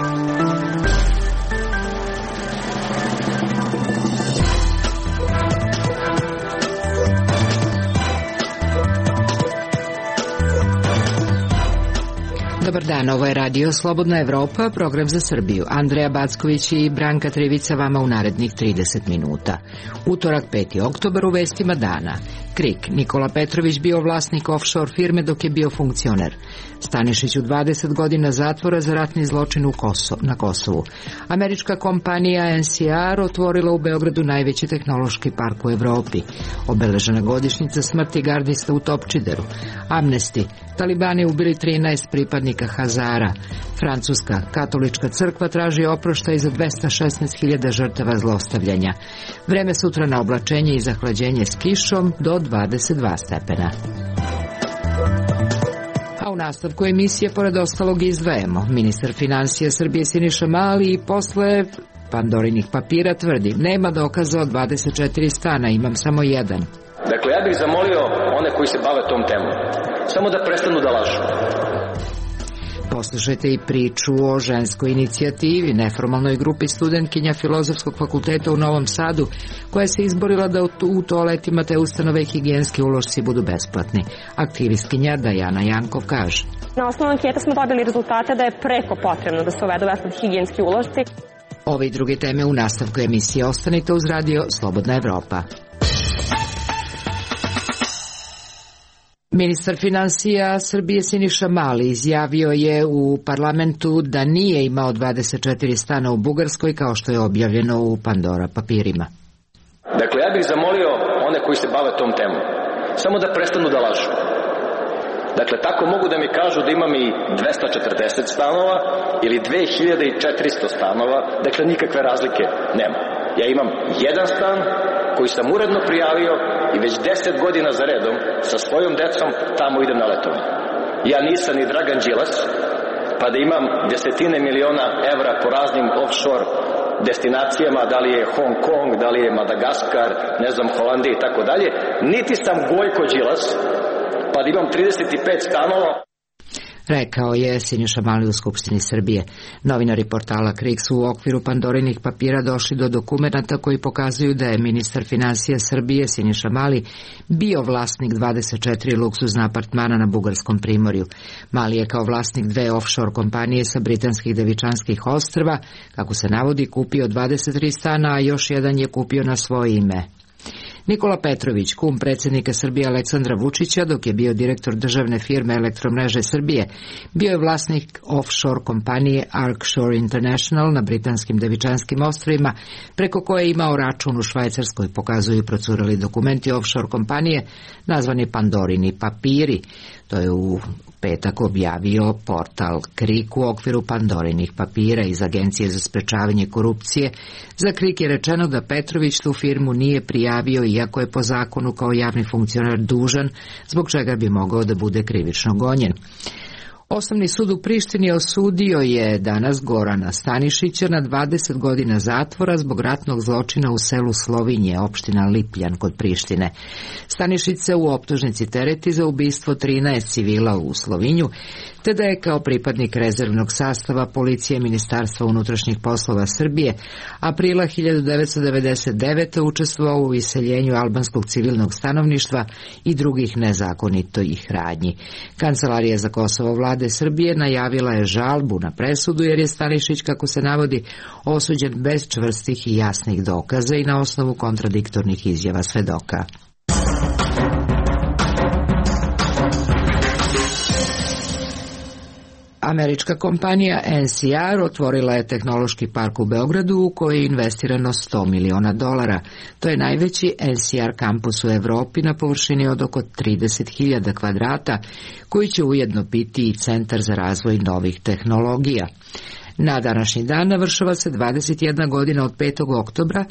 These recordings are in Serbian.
Dobar dan, ovo je Radio Slobodna Evropa, program za Srbiju. Andreja Backović i Branka Trivica vama u narednih 30 minuta. Utorak, 5. oktobar, u vestima dana. KRIK, Nikola Petrović bio vlasnik offshore firme dok je bio funkcioner. Stanišiću 20 godina zatvora za ratni zločin na Kosovu. Američka kompanija NCR otvorila u Beogradu najveći tehnološki park u Evropi. Obeležena godišnjica smrti gardista u Topčideru. Amnesty, Talibani ubili 13 pripadnika Hazara. Francuska katolička crkva traži oproštaj za 216.000 žrtava zlostavljanja. Vreme sutra na oblačenje i zahlađenje s kišom do 22 stepena. A u nastavku emisije pored ostalog izdvajamo. Ministar finansija Srbije Siniša Mali i posle Pandorinih papira tvrdi: nema dokaza od 24 stana, imam samo jedan. Dakle, ja bih zamolio one koji se bave tom temom samo da prestanu da lažu. Poslušajte i priču o ženskoj inicijativi, neformalnoj grupi studentkinja Filozofskog fakulteta u Novom Sadu, koja se izborila da u toaletima te ustanove higijenski ulošci budu besplatni. Aktivistkinja Dajana Jankov kaže: na osnovu anketa smo dobili rezultate da je preko potrebno da se uvedu besplatni higijenski ulošci. Ove i druge teme u nastavku emisije. Ostanite uz Radio Slobodna Evropa. Ministar finansija Srbije Siniša Mali izjavio je u parlamentu da nije imao 24 stana u Bugarskoj, kao što je objavljeno u Pandora papirima. Dakle, ja bih zamolio one koji se bave tom temom samo da prestanu da lažu. Dakle, tako mogu da mi kažu da imam i 240 stanova ili 2400 stanova, dakle nikakve razlike nema. Ja imam jedan stan koji sam uredno prijavio i već 10 godina za redom sa svojom decom tamo idem na letovanje. Ja nisam ni Dragan Đilas, pa da imam desetine miliona evra po raznim offshore destinacijama, da li je Hong Kong, da li je Madagaskar, ne znam, Holandija i tako dalje. Niti sam Gojko Đilas, pa da imam 35 stanova. Rekao je Siniša Mali u Skupštini Srbije. Novinari portala KRIK su u okviru Pandorinih papira došli do dokumenata koji pokazuju da je ministar finansija Srbije Siniša Mali bio vlasnik 24 luksuzna apartmana na Bugarskom primorju. Mali je kao vlasnik 2 offshore kompanije sa britanskih Devičanskih ostrva, kako se navodi, kupio 23 stana, a još jedan je kupio na svoje ime. Nikola Petrović, kum predsjednika Srbije Aleksandra Vučića, dok je bio direktor državne firme Elektromreže Srbije, bio je vlasnik offshore kompanije Arcshore International na britanskim Devičanskim ostrvima, preko koje je imao račun u Švajcarskoj, pokazuju procurali dokumenti offshore kompanije nazvani Pandorini papiri. To je u petak objavio portal KRIK u okviru Pandorinih papira iz Agencije za sprečavanje korupcije. Za KRIK je rečeno da Petrović tu firmu nije prijavio, iako je po zakonu kao javni funkcioner dužan, zbog čega bi mogao da bude krivično gonjen. Osnovni sud u Prištini osudio je danas Gorana Stanišića na 20 godina zatvora zbog ratnog zločina u selu Slovinje, opština Lipljan kod Prištine. Stanišić se u optužnici tereti za ubistvo 13 civila u Slovinju, te da je kao pripadnik rezervnog sastava policije Ministarstva unutrašnjih poslova Srbije aprila 1999. učestvovao u iseljenju albanskog civilnog stanovništva i drugih nezakonitih radnji. Kancelarija za Kosovo vlade Srbije najavila je žalbu na presudu, jer je Stanišić, kako se navodi, osuđen bez čvrstih i jasnih dokaza i na osnovu kontradiktornih izjava svedoka. Američka kompanija NCR otvorila je tehnološki park u Beogradu u koji je investirano $100 miliona. To je najveći NCR kampus u Evropi na površini od oko 30.000 kvadrata, koji će ujedno biti i centar za razvoj novih tehnologija. Na današnji dan navršava se 21 godina od 5. oktobra,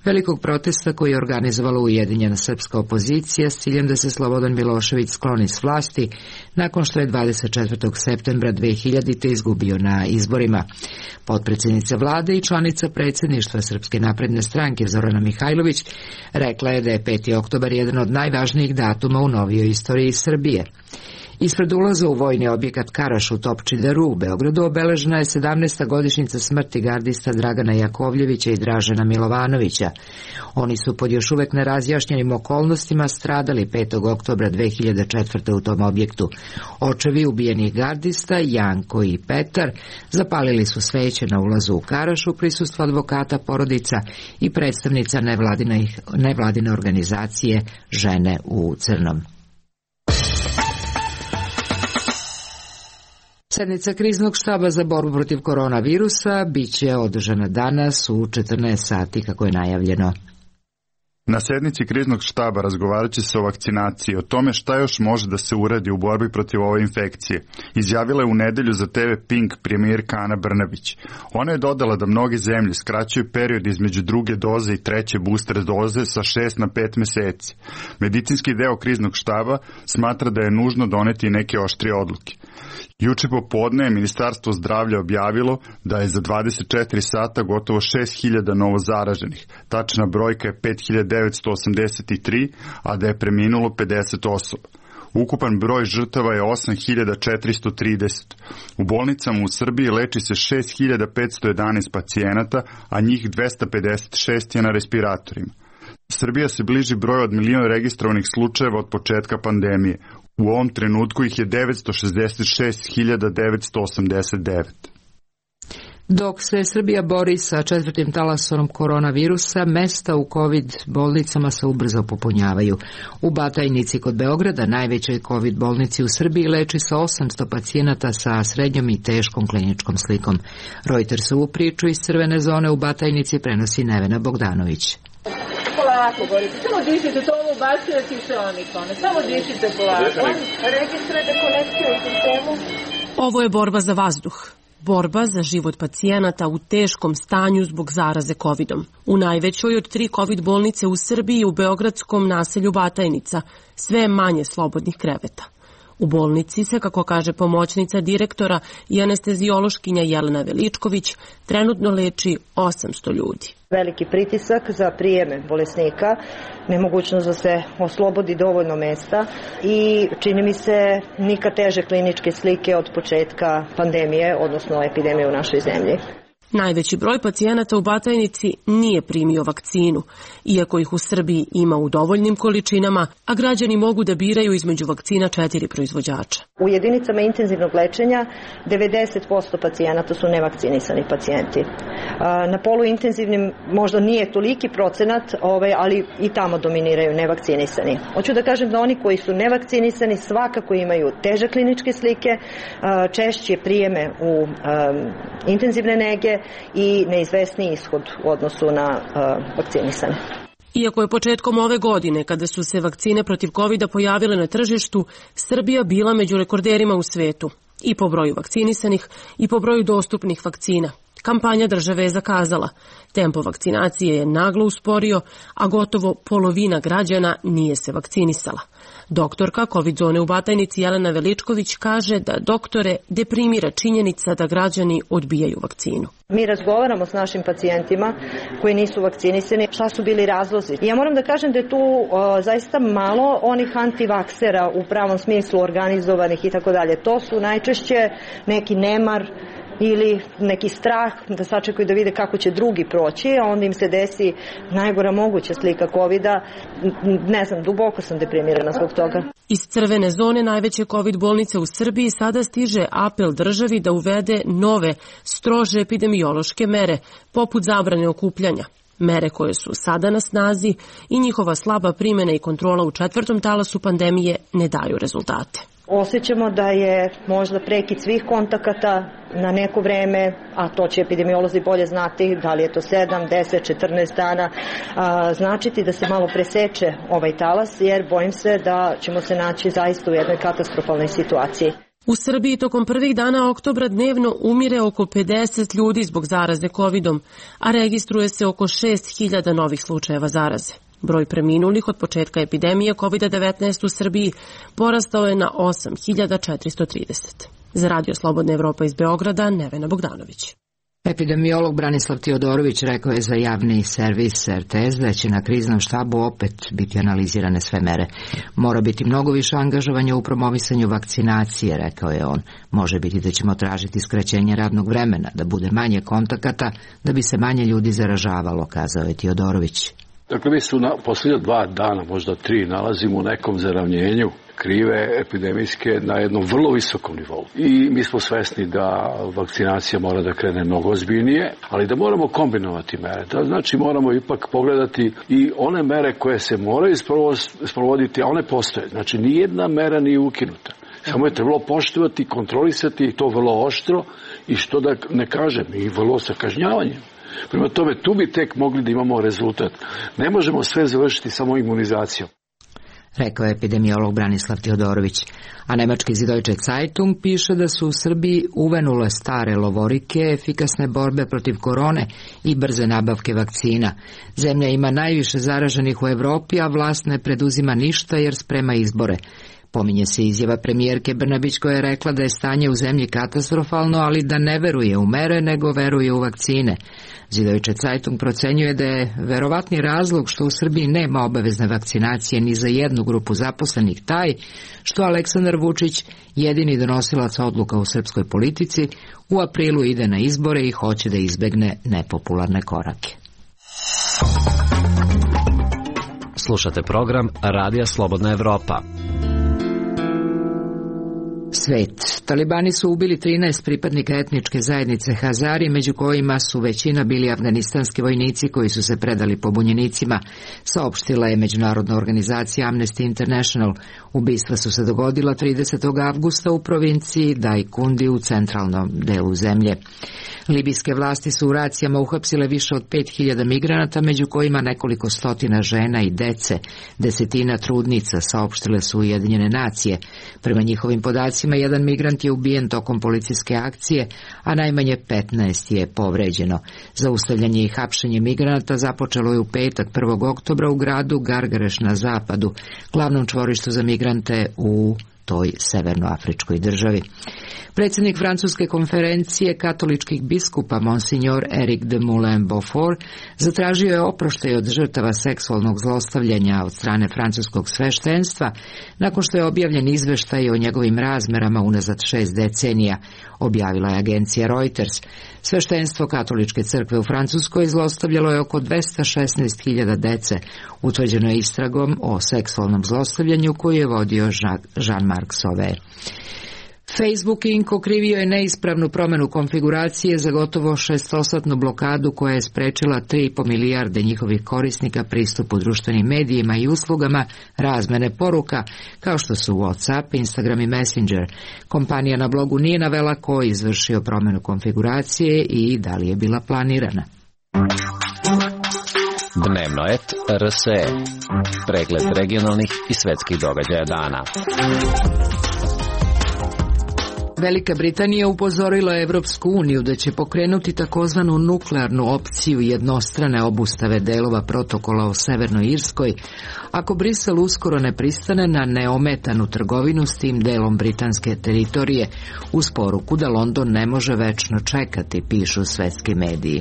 velikog protesta koji je organizovala ujedinjena srpska opozicija s ciljem da se Slobodan Milošević skloni s vlasti nakon što je 24. septembra 2000. izgubio na izborima. Potpredsjednica vlade i članica predsjedništva Srpske napredne stranke Zorana Mihajlović rekla je da je 5. oktobar jedan od najvažnijih datuma u novijoj istoriji Srbije. Ispred ulaza u vojni objekat Karaš u Topčideru u Beogradu obeležena je 17. godišnjica smrti gardista Dragana Jakovljevića i Dražena Milovanovića. Oni su pod još uvek nerazjašnjenim okolnostima stradali 5. oktobra 2004. u tom objektu. Očevi ubijenih gardista, Janko i Petar, zapalili su sveće na ulazu u Karaš u prisustvu advokata porodica i predstavnica nevladine organizacije Žene u crnom. Sednica kriznog štaba za borbu protiv koronavirusa biće održana danas u 14 sati kako je najavljeno. Na sednici kriznog štaba razgovarat će se o vakcinaciji, o tome šta još može da se uradi u borbi protiv ove infekcije. Izjavila je u nedelju za TV Pink premijerka Ana Brnabić. Ona je dodala da mnoge zemlje skraćuju period između druge doze i treće booster doze sa 6 na 5 meseci. Medicinski deo kriznog štaba smatra da je nužno doneti neke oštrije odluke. Juče popodne je Ministarstvo zdravlja objavilo da je za 24 sata gotovo 6.000 novozaraženih. Tačna brojka je 5.983, a da je preminulo 50 osoba. Ukupan broj žrtava je 8.430. U bolnicama u Srbiji leči se 6.511 pacijenata, a njih 256 je na respiratorima. Srbija se bliži broju od 1 milion registrovanih slučajeva od početka pandemije. U ovom trenutku ih je 966.989. Dok se Srbija bori sa četvrtim talasom koronavirusa, mesta u COVID bolnicama se ubrzo popunjavaju. U Batajnici kod Beograda, najvećoj COVID bolnici u Srbiji, leči se 800 pacijenata sa srednjom i teškom kliničkom slikom. Reutersovu priču iz crvene zone u Batajnici prenosi Nevena Bogdanović. Polako, Boris, samo dišite, to ovo ubacuje kiseonikone, samo dišite polako. Registrujete konekciju u sistemu. Ovo je borba za vazduh. Borba za život pacijenata u teškom stanju zbog zaraze COVID-om. U najvećoj od 3 COVID bolnice u Srbiji u beogradskom naselju Batajnica sve je manje slobodnih kreveta. U bolnici se, kako kaže pomoćnica direktora i anesteziološkinja Jelena Veličković, trenutno leči 800 ljudi. Veliki pritisak za prijeme bolesnika, nemogućnost da se oslobodi dovoljno mesta i čini mi se nikad teže kliničke slike od početka pandemije, odnosno epidemije u našoj zemlji. Najveći broj pacijenata u Batajnici nije primio vakcinu, iako ih u Srbiji ima u dovoljnim količinama, a građani mogu da biraju između vakcina 4 proizvođača. U jedinicama intenzivnog lečenja 90% pacijenata su nevakcinisani pacijenti. Na poluintenzivnim možda nije toliki procenat, ali i tamo dominiraju nevakcinisani. Hoću da kažem da oni koji su nevakcinisani svakako imaju teže kliničke slike, češće prijeme u intenzivne nege i neizvesni ishod u odnosu na vakcinisane. Iako je početkom ove godine, kada su se vakcine protiv COVID-a pojavile na tržištu, Srbija bila među rekorderima u svetu, i po broju vakcinisanih i po broju dostupnih vakcina. Kampanja države je zakazala. Tempo vakcinacije je naglo usporio, a gotovo polovina građana nije se vakcinisala. Doktorka COVID zone u Batajnici Jelena Veličković kaže da doktore deprimira činjenica da građani odbijaju vakcinu. Mi razgovaramo s našim pacijentima koji nisu vakcinisani, šta su bili razlozi. Ja moram da kažem da je tu zaista malo onih antivaksera u pravom smislu organizovanih i tako dalje. To su najčešće neki nemar ili neki strah da sačekaju da vide kako će drugi proći, a onda im se desi najgora moguća slika COVID-a. Ne znam, duboko sam deprimirana zbog toga. Iz crvene zone najveće COVID bolnice u Srbiji sada stiže apel državi da uvede nove, strože epidemiološke mere, poput zabrane okupljanja. Mere koje su sada na snazi i njihova slaba primjena i kontrola u 4. talasu pandemije ne daju rezultate. Osjećamo da je možda prekid svih kontakata na neko vreme, a to će epidemiolozi bolje znati, da li je to 7, 10, 14 dana, značiti da se malo preseče ovaj talas, jer bojim se da ćemo se naći zaista u jednoj katastrofalnoj situaciji. U Srbiji tokom prvih dana oktobra dnevno umire oko 50 ljudi zbog zaraze COVID-om, a registruje se oko 6.000 novih slučajeva zaraze. Broj preminulih od početka epidemije COVID-19 u Srbiji porastao je na 8.430. Za Radio Slobodna Evropa iz Beograda, Nevena Bogdanović. Epidemiolog Branislav Teodorović rekao je za javni servis RTS da će na kriznom štabu opet biti analizirane sve mere. Mora biti mnogo više angažovanja u promovisanju vakcinacije, rekao je on. Može biti da ćemo tražiti skraćenje radnog vremena, da bude manje kontakata, da bi se manje ljudi zaražavalo, kazao je Teodorović. Dakle, mi su posljednja 2 dana, možda 3, nalazimo u nekom zaravnjenju krive epidemijske na jednom vrlo visokom nivou. I mi smo svesni da vakcinacija mora da krene mnogo ozbiljnije, ali da moramo kombinovati mere. To znači moramo ipak pogledati i one mere koje se moraju sprovoditi, a one postoje. Znači nijedna mera nije ukinuta. Samo je trebalo poštovati, kontrolisati i to vrlo oštro i što da ne kažem, i vrlo sa kažnjavanjem. Prema tome, tu bi tek mogli da imamo rezultat. Ne možemo sve završiti samo imunizacijom, rekao je epidemiolog Branislav Teodorović. A nemački Süddeutsche Zeitung piše da su u Srbiji uvenule stare lovorike, efikasne borbe protiv korone i brze nabavke vakcina. Zemlja ima najviše zaraženih u Evropi, a vlast ne preduzima ništa jer sprema izbore. Pominje se izjava premijerke Brnabić koja je rekla da je stanje u zemlji katastrofalno, ali da ne veruje u mere, nego veruje u vakcine. Süddeutsche Zeitung procenjuje da je verovatni razlog što u Srbiji nema obavezne vakcinacije ni za jednu grupu zaposlenih taj što Aleksandar Vučić, jedini donosilac odluka u srpskoj politici, u aprilu ide na izbore i hoće da izbegne nepopularne korake. Slušate program Radija Slobodna Evropa. Svet. Talibani su ubili 13 pripadnika etničke zajednice Hazari, među kojima su većina bili afganistanski vojnici koji su se predali pobunjenicima, saopštila je međunarodna organizacija Amnesty International. Ubistva su se dogodila 30. avgusta u provinciji Dajkundi u centralnom delu zemlje. Libijske vlasti su u racijama uhapsile više od 5000 migranata, među kojima nekoliko stotina žena i dece, desetina trudnica, saopštile su Ujedinjene nacije. Prema njihovim podacima, jedan migrant je ubijen tokom policijske akcije, a najmanje 15 je povređeno. Zaustavljanje i hapšenje migranata započelo je u petak 1. oktobra u gradu Gargareš na zapadu, glavnom čvorištu za migrante u toj severnoafričkoj državi. Predsjednik Francuske konferencije katoličkih biskupa Monsignor Eric de Moulin-Beaufort zatražio je oproštaj od žrtava seksualnog zlostavljanja od strane francuskog sveštenstva nakon što je objavljen izveštaj o njegovim razmerama unazad 6 decenija, objavila je agencija Reuters. Sveštenstvo katoličke crkve u Francuskoj zlostavljalo je oko 216.000 dece, utvrđeno je istragom o seksualnom zlostavljanju koju je vodio Jean-Marc Sauvé. Facebook Inc. okrivio je neispravnu promjenu konfiguracije za gotovo 6-satnu blokadu koja je sprečila 3,5 milijarde njihovih korisnika pristupu društvenim medijima i uslugama razmene poruka, kao što su WhatsApp, Instagram i Messenger. Kompanija na blogu nije navela ko je izvršio promjenu konfiguracije i da li je bila planirana. Dnevno et RSE. Pregled regionalnih i svetskih događaja dana. Velika Britanija upozorila Evropsku uniju da će pokrenuti takozvanu nuklearnu opciju jednostrane obustave delova protokola o Severnoj Irskoj, ako Brisel uskoro ne pristane na neometanu trgovinu s tim delom britanske teritorije, uz poruku da London ne može večno čekati, pišu svetski mediji.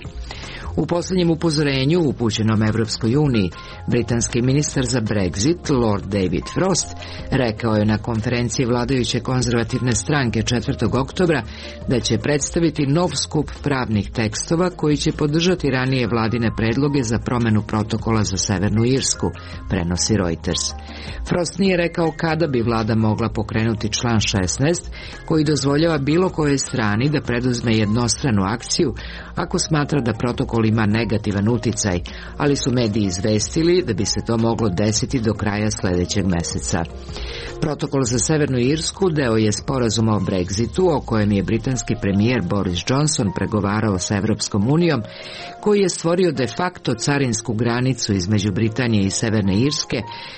U posljednjem upozorenju upućenom Evropskoj uniji, britanski ministar za Brexit, Lord David Frost, rekao je na konferenciji vladajuće konzervativne stranke 4. oktobra da će predstaviti nov skup pravnih tekstova koji će podržati ranije vladine predloge za promjenu protokola za Severnu Irsku, prenosi Reuters. Frost nije rekao kada bi vlada mogla pokrenuti član 16, koji dozvoljava bilo kojoj strani da preduzme jednostranu akciju ako smatra da protokol ima negativan uticaj, ali su mediji izvestili da bi se to moglo desiti do kraja sljedećeg mjeseca. Protokol za Severnu Irsku deo je sporazuma o Brexitu, o kojem je britanski premijer Boris Johnson pregovarao sa Evropskom unijom, koji je stvorio de facto carinsku granicu između Britanije i Severne Irske,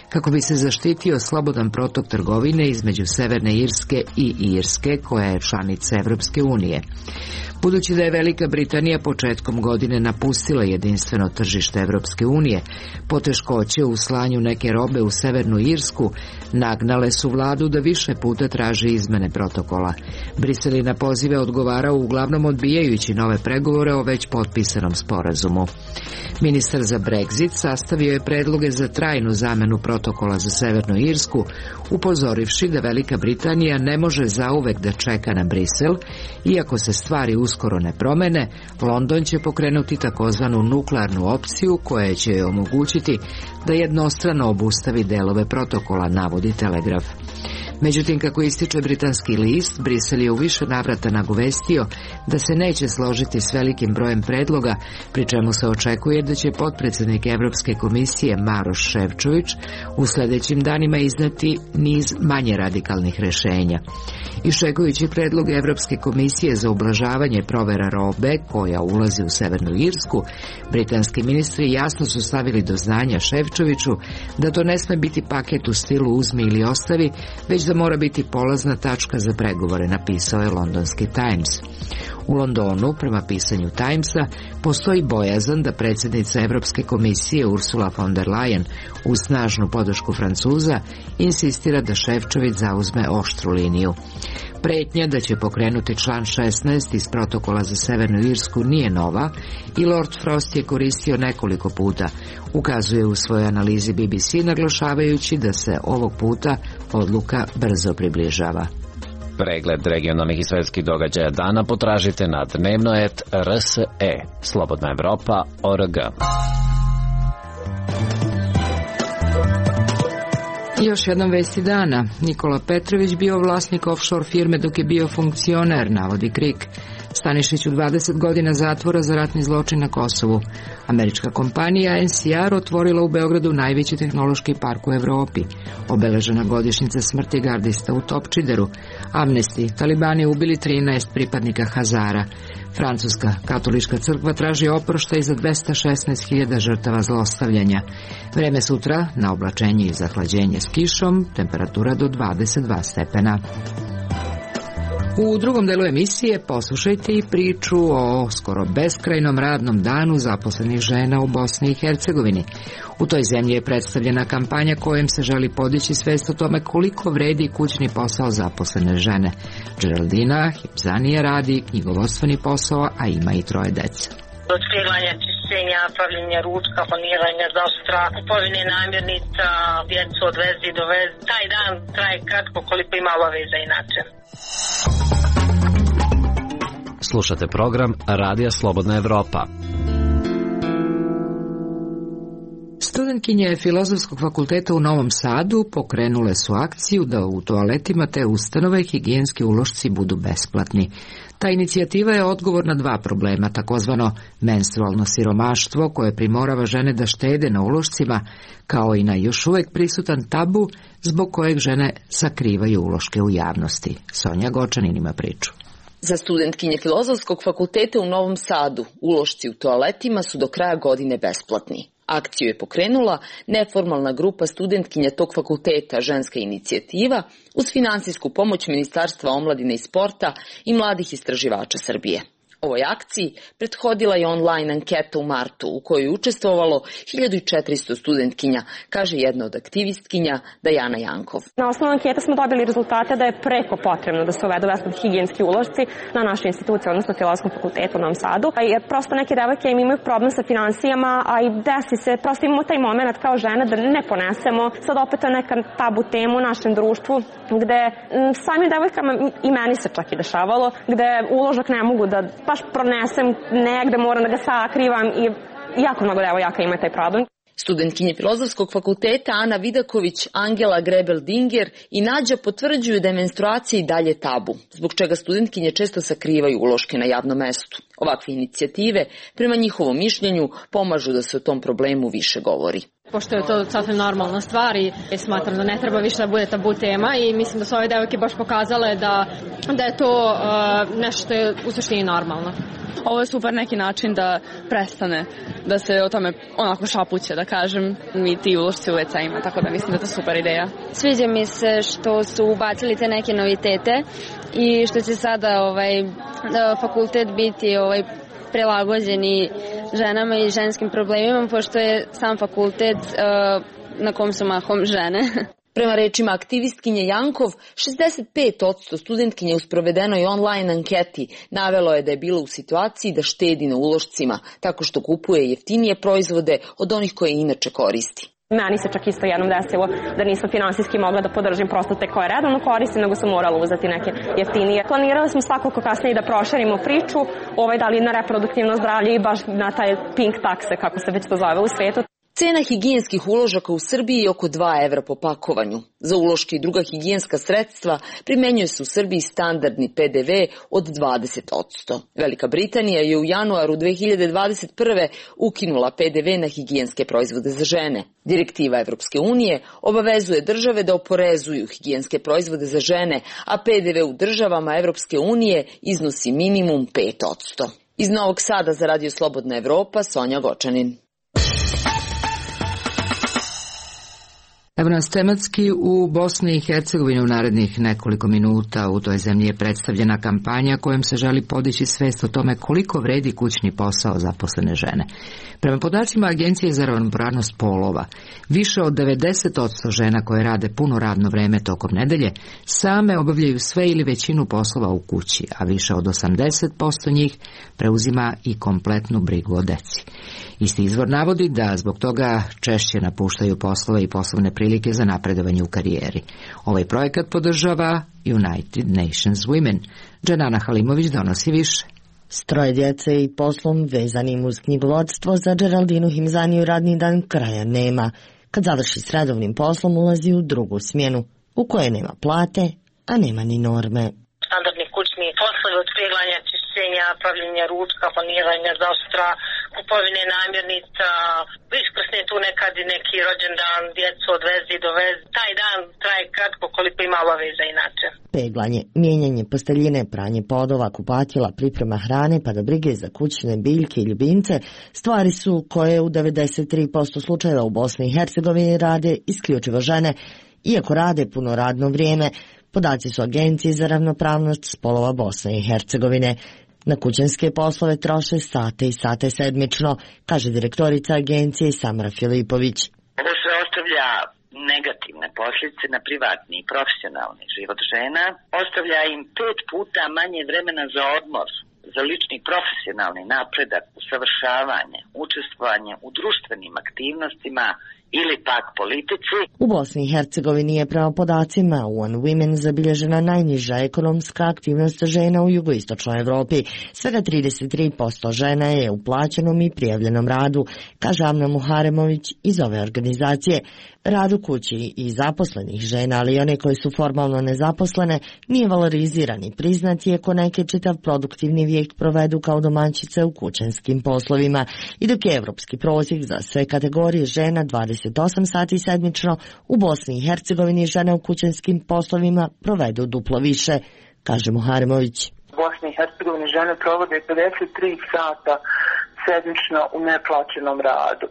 kako bi se zaštitio slobodan protok trgovine između Severne Irske i Irske, koja je članica Evropske unije. Budući da je Velika Britanija početkom godine napustila jedinstveno tržište Evropske unije, poteškoće u slanju neke robe u Severnu Irsku nagnale su vladu da više puta traži izmene protokola. Brisel je na pozive odgovarao uglavnom odbijajući nove pregovore o već potpisanom sporazumu. Ministar za Brexit sastavio je predloge za trajnu zamenu protokola za Severnu Irsku, upozorivši da Velika Britanija ne može zauvek da čeka na Brisel, iako se stvari uskoro ne promene, London će pokrenuti takozvanu nuklearnu opciju koja će joj omogućiti da jednostrano obustavi delove protokola, navodi Telegraf. Međutim, kako ističe britanski list, Brisel je u više navrata nagovestio da se neće složiti s velikim brojem predloga, pri čemu se očekuje da će potpredsednik Evropske komisije Maroš Šefčović u sledećim danima izneti niz manje radikalnih rešenja. Iščekujući predlog Evropske komisije za ublažavanje provera robe koja ulazi u Severnu Irsku, britanski ministri jasno su stavili do znanja Šefčoviću da to ne sme biti paket u stilu uzmi ili ostavi, već da mora biti polazna tačka za pregovore, napisao je londonski Times. U Londonu, prema pisanju Timesa, postoji bojazan da predsjednica Evropske komisije Ursula von der Leyen, uz snažnu podršku Francuza, insistira da Šefčović zauzme oštru liniju. Pretnja da će pokrenuti član 16 iz protokola za Severnu Irsku nije nova i Lord Frost je koristio nekoliko puta, ukazuje u svojoj analizi BBC, naglašavajući da se ovog puta odluka brzo približava. Pregled regionalnih i svetskih događaja dana potražite na dnevno.rse, Slobodna Evropa.org. Još jednom vesti dana. Nikola Petrović bio vlasnik offshore firme dok je bio funkcioner, navodi KRIK. Stanišiću 20 godina zatvora za ratni zločin na Kosovu. Američka kompanija NCR otvorila u Beogradu najveći tehnološki park u Evropi. Obeležena godišnjica smrti gardista u Topčideru. Amnesty, talibani ubili 13 pripadnika Hazara. Francuska katolička crkva traži oproštaj za 216.000 žrtava zlostavljanja. Vreme sutra na oblačenje i zahlađenje s kišom, temperatura do 22 stepena. U drugom delu emisije poslušajte i priču o skoro beskrajnom radnom danu zaposlenih žena u Bosni i Hercegovini. U toj zemlji je predstavljena kampanja kojom se želi podići svest o tome koliko vredi kućni posao zaposlene žene. Geraldina Hipzanija radi knjigovodstveni posao, a ima i 3 dece. Otkrivanja, čišćenja, pravljenja ručka, planiranja zaštra, kupovine namirnica, djecu od vezi do vezi. Taj dan traje kratko koliko ima obaveza inače. Slušate program Radija Slobodna Evropa. Studentkinje Filozofskog fakulteta u Novom Sadu pokrenule su akciju da u toaletima te ustanove higijenski ulošci budu besplatni. Ta inicijativa je odgovor na 2 problema, takozvano menstrualno siromaštvo koje primorava žene da štede na ulošcima, kao i na još uvek prisutan tabu zbog kojeg žene sakrivaju uloške u javnosti. Sonja Gočanin ima priču. Za studentkinje Filozofskog fakulteta u Novom Sadu ulošci u toaletima su do kraja godine besplatni. Akciju je pokrenula neformalna grupa studentkinja tog fakulteta Ženska inicijativa uz finansijsku pomoć Ministarstva omladine i sporta i mladih istraživača Srbije. Ovoj akciji prethodila je online anketa u martu u kojoj je učestvovalo 1400 studentkinja, kaže jedna od aktivistkinja Dajana Jankov. Na osnovu ankete smo dobili rezultate da je preko potrebno da se uvedu besplatni higijenski ulošci na našoj instituciji, odnosno Filozofskom fakultetu u Novom Sadu. Jer prosto neke devojke imaju problem sa finansijama, a i desi se, prosto imamo taj moment kao žene da ne ponesemo. Sad opet je neka tabu tema u našem društvu gde samim devojkama i meni se čak i dešavalo, gde uložak ne mogu da baš pronesem negde, moram da ga sakrivam i jako mnogo devojaka ima taj problem. Studentkinje Filozofskog fakulteta Ana Vidaković, Angela Grebel-Dinger i Nađa potvrđuju da je menstruacija i dalje tabu, zbog čega studentkinje često sakrivaju uloške na javnom mestu. Ovakve inicijative, prema njihovom mišljenju, pomažu da se o tom problemu više govori. Pošto je to sasvim normalna stvar i smatram da ne treba više da bude tabu tema i mislim da su ove devojke baš pokazale da je to nešto što je u suštini normalno. Ovo je super neki način da prestane, da se o tome onako šapuće, da kažem, mi ti ulošci u WC-ima, tako da mislim da je to super ideja. Sviđa mi se što su ubacili te neke novitete i što će sada fakultet biti prilagođeni ženama i ženskim problemima, pošto je sam fakultet na kom su mahom žene. Prema rečima aktivistkinje Jankov, 65% studentkinja u sprovedenoj online anketi navelo je da je bila u situaciji da štedi na ulošcima, tako što kupuje jeftinije proizvode od onih koje inače koristi. Meni se čak isto jednom desilo da nisam finansijski mogla da podržim prosto te koje redovno koristim, nego sam morala uzeti neke jeftinije. Planirali smo svakako kasnije da proširimo priču, da li na reproduktivno zdravlje i baš na taj pink takse, kako se već to zove u svetu. Cena higijenskih uložaka u Srbiji je oko 2 evra po pakovanju. Za uloške i druga higijenska sredstva primenjuje se u Srbiji standardni PDV od 20%. Velika Britanija je u januaru 2021. ukinula PDV na higijenske proizvode za žene. Direktiva Evropske unije obavezuje države da oporezuju higijenske proizvode za žene, a PDV u državama Evropske unije iznosi minimum 5%. Iz Novog Sada za Radio Slobodna Evropa, Sonja Gočanin. Evo nas tematski u Bosni i Hercegovini u narednih nekoliko minuta. U toj zemlji je predstavljena kampanja kojom se želi podići svest o tome koliko vredi kućni posao zaposlene žene. Prema podacima Agencije za ravnopravnost polova, više od 90% žena koje rade puno radno vreme tokom nedelje same obavljaju sve ili većinu poslova u kući, a više od 80% njih preuzima i kompletnu brigu o deci. Isti izvor navodi da zbog toga češće napuštaju poslove i poslovne prilike za napredovanje u karijeri. Ovaj projekat podržava United Nations Women. Dženana Halimović donosi više. S 3 djece i poslom vezanim uz knjigovodstvo za Geraldinu Himzaniju radni dan kraja nema. Kad završi s redovnim poslom ulazi u drugu smjenu, u kojoj nema plate, a nema ni norme. Standardni kućni poslovi od peglanja, čišćenja, pravljenja ručka, planiranja zaštra, kupovine namirnica, iskrsne tu nekad i neki rođendan, djecu odvezi, dovezi. Taj dan traje kratko koliko ima obaveza inače. Peglanje, mijenjanje posteljine, pranje podova, kupatila, priprema hrane pa do brige za kućne biljke i ljubimce stvari su koje u 93% slučajeva u Bosni i Hercegovini rade isključivo žene, iako rade puno radno vrijeme. Podaci su Agencije za ravnopravnost spolova Bosne i Hercegovine. Na kućanske poslove troše sate i sate sedmično, kaže direktorica agencije Samra Filipović. Ovo sve ostavlja negativne posljedice na privatni i profesionalni život žena, ostavlja im 5 puta manje vremena za odmor, za lični profesionalni napredak, usavršavanje, učestvovanje u društvenim aktivnostima ili pak politici. U Bosni i Hercegovini je prema podacima One Women zabilježena najniža ekonomska aktivnost žena u jugoistočnoj Evropi. Svega 33% žena je u plaćenom i prijavljenom radu, kaže Amna Muharemović iz ove organizacije. Rad u kući i zaposlenih žena, ali i one koje su formalno nezaposlene, nije valoriziran i priznat, iako neke čitav produktivni vijek provedu kao domaćice u kućanskim poslovima. I dok je evropski prosjek za sve kategorije žena 28 sati sedmično, u Bosni i Hercegovini žene u kućanskim poslovima provedu duplo više, kaže Muharemović. U Bosni i Hercegovini žene provode 53 sata sedmično u neplaćenom radu.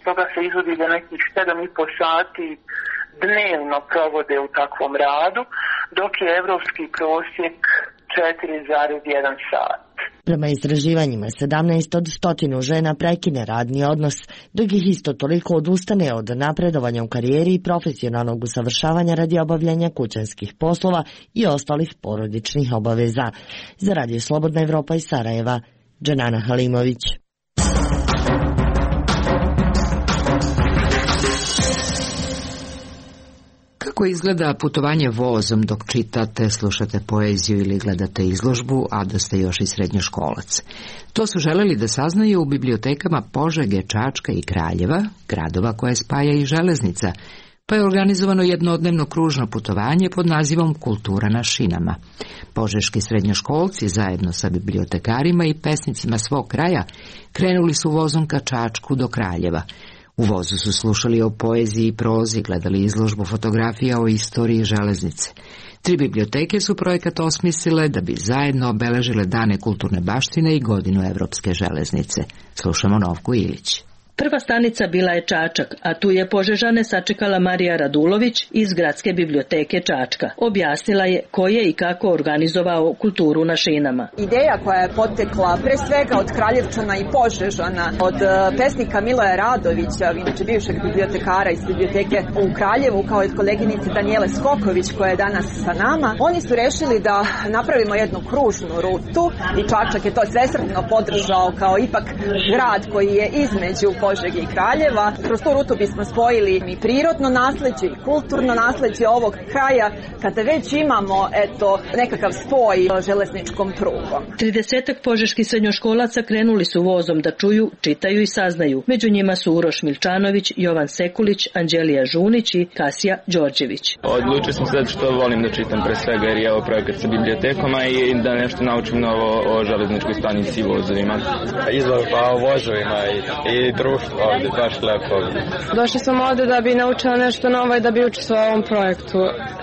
Toga se izvodi da nekih 7,5 sati dnevno provode u takvom radu, dok je evropski prosjek 4,1 sat. Prema istraživanjima 17 od 100 žena prekine radni odnos, dok ih isto toliko odustane od napredovanja u karijeri i profesionalnog usavršavanja radi obavljanja kućanskih poslova i ostalih porodičnih obaveza. Za Radio Slobodna Evropa iz Sarajeva, Dženana Halimović. Kako izgleda putovanje vozom dok čitate, slušate poeziju ili gledate izložbu, a da ste još i srednjoškolac? To su želeli da saznaju u bibliotekama Požege, Čačka i Kraljeva, gradova koje spaja i železnica, pa je organizovano jednodnevno kružno putovanje pod nazivom Kultura na šinama. Požeški srednjoškolci zajedno sa bibliotekarima i pesnicima svog kraja krenuli su vozom ka Čačku do Kraljeva. U vozu su slušali o poeziji i prozi, gledali izložbu fotografija o istoriji železnice. 3 biblioteke su projekat osmislile da bi zajedno obeležile dane kulturne baštine i godinu Evropske železnice. Slušamo Novku Ilić. Prva stanica bila je Čačak, a tu je Požežane sačekala Marija Radulović iz Gradske biblioteke Čačka. Objasnila je ko je i kako organizovao kulturu na šinama. Ideja koja je potekla pre svega od Kraljevčana i Požežana, od pesnika Miloja Radovića, inače bivšeg bibliotekara iz biblioteke u Kraljevu, kao i od koleginice Danijele Skoković koja je danas sa nama. Oni su rešili da napravimo jednu kružnu rutu i Čačak je to svesrdno podržao kao ipak grad koji je između Požege i Kraljeva. Kroz tu rutu bismo spojili i prirodno nasleđe i kulturno nasleđe ovog kraja, kada već imamo nekakav spoj železničkom prugom. 30 požeških srednjoškolaca krenuli su vozom da čuju, čitaju i saznaju. Među njima su Uroš Milčanović, Jovan Sekulić, Anđelija Žunić i Kasija Đorđević. Odlučio sam se što volim da čitam pre svega jer je ovo projekat sa bibliotekama i da nešto naučim novo o železničkoj stanici i vozovima. Izložba o vozovima i društvo ovdje, baš lepo. Došli sam ovdje da bi naučila nešto novo i da bi učestvovao u ovom projektu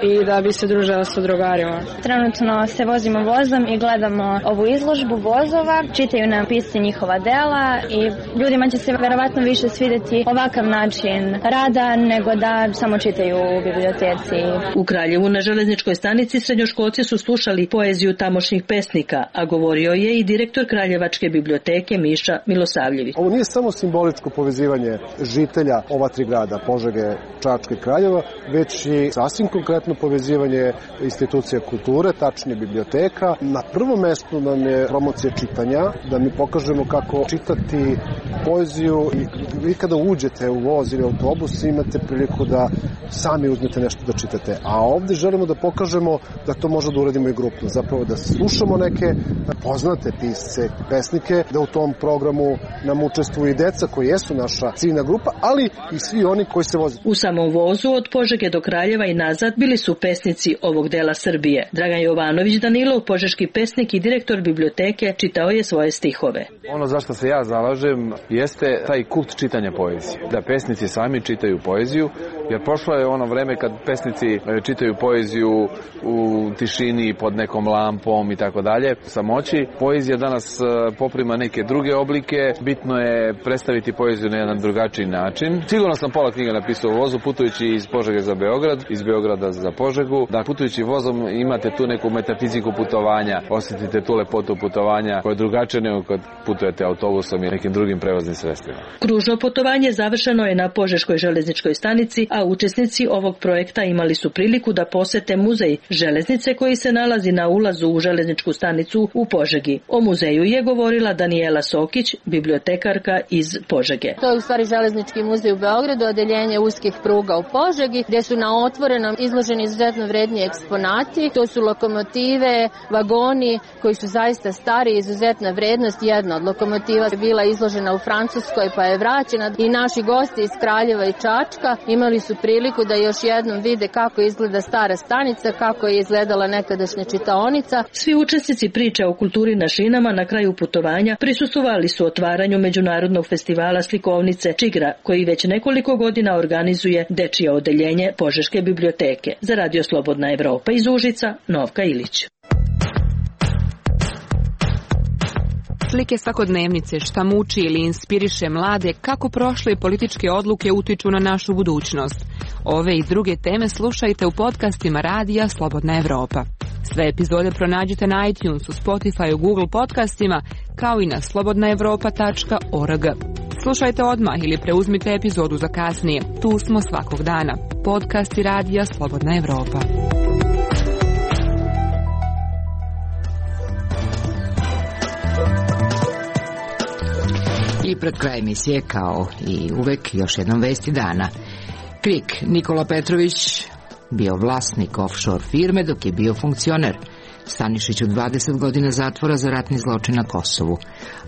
i da bi se družila sa drugarima. Trenutno se vozimo vozom i gledamo ovu izložbu vozova, čitaju nam pisci njihova dela i ljudima će se verovatno više svidjeti ovakav način rada nego da samo čitaju u biblioteci. U Kraljevu na železničkoj stanici srednjoškolci su slušali poeziju tamošnjih pesnika, a govorio je i direktor Kraljevačke biblioteke Miša Milosavljević. Ovo nije samo simboličko povezivanje žitelja ova 3 grada, Požege, Čačka i Kraljeva, već i sasvim konkretno povezivanje institucija kulture, tačnije biblioteka. Na prvom mestu nam je promocija čitanja, da mi pokažemo kako čitati poeziju i vi kada uđete u voz ili autobus imate priliku da sami uzmete nešto da čitate. A ovdje želimo da pokažemo da to možemo da uradimo i grupno. Zapravo da slušamo neke poznate pisce, pesnike, da u tom programu nam učestvuju i deca koji jesu naša ciljna grupa, ali i svi oni koji se voze. U samom vozu od Požege do Kraljeva i nazad bili su pesnici ovog dela Srbije. Dragan Jovanović Danilov, požeški pesnik i direktor biblioteke, čitao je svoje stihove. Ono za što se ja zalažem jeste taj kult čitanja poezije. Da pesnici sami čitaju poeziju, jer prošlo je ono vreme kad pesnici čitaju poeziju u tišini pod nekom lampom i tako dalje. Samoći, poezija danas poprima neke druge oblike, bitno je predstaviti poeziju na jedan drugačiji način. Sigurno sam pola knjiga napisao u vozu, putujući iz Požege za Beograd, iz Beograda za Požegu. Da putujući vozom imate tu neku metafiziku putovanja, osjetite tu lepotu putovanja koja je drugačija nego kad putujete autobusom i nekim drugim prevoznim sredstvima. Kružno putovanje završeno je na Požeškoj železničkoj stanici, a učesnici ovog projekta imali su priliku da posete muzej železnice koji se nalazi na ulazu u železničku stanicu u Požegi. O muzeju je govorila Danijela Sokić, bibliotekarka iz Požege. To je u stvari železnički muzej u Beogradu, odeljenje uskih pruga u Požegi, gdje su na otvorenom izloženi izuzetno vredni eksponati. To su lokomotive, vagoni koji su zaista stari, izuzetna vrednost. Jedna od lokomotiva je bila izložena u Francuskoj pa je vraćena i naši gosti iz Kraljeva i Čačka imali su priliku da još jednom vide kako izgleda stara stanica, kako je izgledala nekadašnja čitaonica. Svi učesnici priče o kulturi na šinama na kraju putovanja prisustvovali su otvaranju Međunarodnog festivala slikovnice Čigra, koji već nekoliko godina organizuje dečije odeljenje Požeške biblioteke. Za Radio Slobodna Evropa iz Užica, Novka Ilić. Slike svakodnevnice, šta muči ili inspiriše mlade, kako prošle političke odluke utiču na našu budućnost. Ove i druge teme slušajte u podcastima Radija Slobodna Evropa. Sve epizode pronađite na iTunesu, Spotify, Google podcastima, kao i na slobodnaevropa.org. Slušajte odmah ili preuzmite epizodu za kasnije. Tu smo svakog dana. Podcasti Radija Slobodna Evropa. I pred kraj emisije, kao i uvek, još jednom vesti dana. KRIK Nikola Petrović bio vlasnik offshore firme dok je bio funkcioner. Stanišiću 20 godina zatvora za ratni zločin na Kosovu.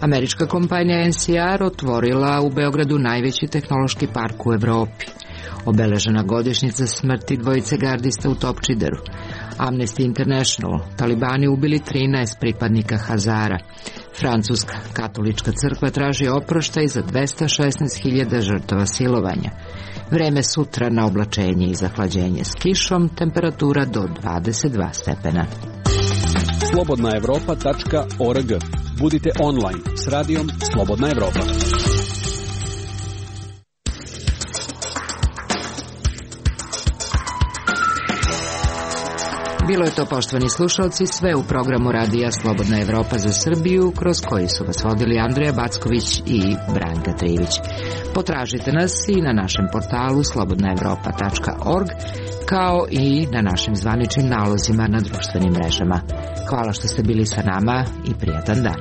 Američka kompanija NCR otvorila u Beogradu najveći tehnološki park u Evropi. Obeležena godišnjica smrti dvojice gardista u Topčideru. Amnesty International, talibani ubili 13 pripadnika Hazara. Francuska katolička crkva traži oproštaj za 216.000 žrtava silovanja. Vreme sutra na oblačenje i zahlađenje s kišom, temperatura do 22 stepena. Slobodnaevropa.org. Budite online s radijom Slobodna Evropa. Bilo je to, poštovani slušalci, sve u programu radija Slobodna Evropa za Srbiju, kroz koji su vas vodili Andreja Backović i Branka Trivić. Potražite nas i na našem portalu slobodnaevropa.org, kao i na našim zvaničnim nalozima na društvenim mrežama. Hvala što ste bili sa nama i prijatan dan.